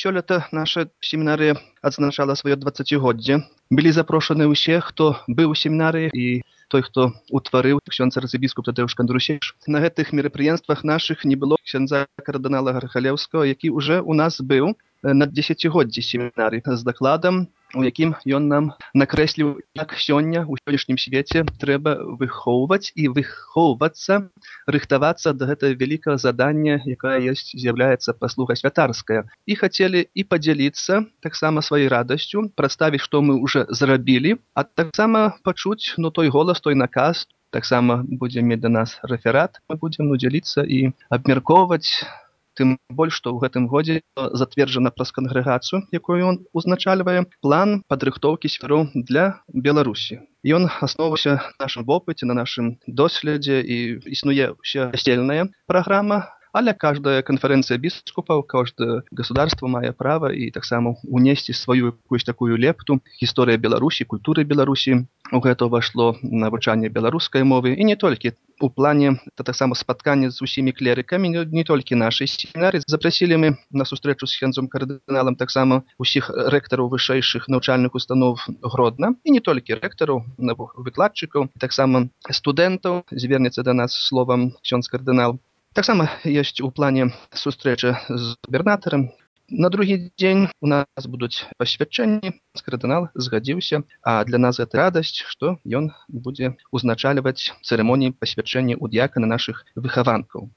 Сёлета наша семінарыя адзначала сваё 20годдзе. Былі запрошаны ўсе, хто быў у семінарыі і той, хто утварыў ксёндз арцыбіскуп Тадэўш Кандрусевіч. На гэтых мерапрыемствах нашых не было ксяндза кардынала Гархалеўскага, які ўжо ў нас быў на 10годдзі семінарыі з дакладам, у якім ён нам накрэсліў, як сёння у сённяшнім свеце трэба выхоўваць і выхоўвацца, рыхтавацца да гэтага вялікага задання, якая з'яўляецца паслуга святарская. І хацелі і падзяліцца таксама сваёй радасцю, прадставіць, што мы ўжо зрабілі, а таксама пачуць той голас, той наказ. Таксама будзе мець да нас рэферат, мы будзем дзяліцца і абмяркоўваць. Тым больш, што ў гэтым годзе затверджана праз кангрэгацыю, якую ён узначальвае, план падрыхтоўкі свяроў для Беларусі. Ён асноўваўся на нашым вопыце, на нашым доследзе, і існуе ўся касцельная праграма, але каждая канферэнцыя біскупаў, каждое государство мае права і таксама унесці сваю якусь такую лепту. Гісторыя Беларусі, культуры Беларусі. У гэта ўвайшло навучанне беларускай мовы, і не толькі. У плане таксама спаткання з усімі клерыкамі, не толькі нашай семінарыі. Запрасілі мы на сустрэчу з ксяндзом кардыналам таксама усіх рэктараў вышэйшых навучальных устаноў Гродна, і не толькі рэктараў, выкладчыкаў, таксама студэнтаў. Звернецца да нас словам ксёндз кардынал. Таксама ёсць у плане сустрэча з губернатарам. На другі дзень у нас будуць пасвячэнні. Кардынал згадзіўся, а для нас гэта радасць, што ён будзе узначальваць цырымоніі пасвячэння ў дыякана нашых выхаванкаў.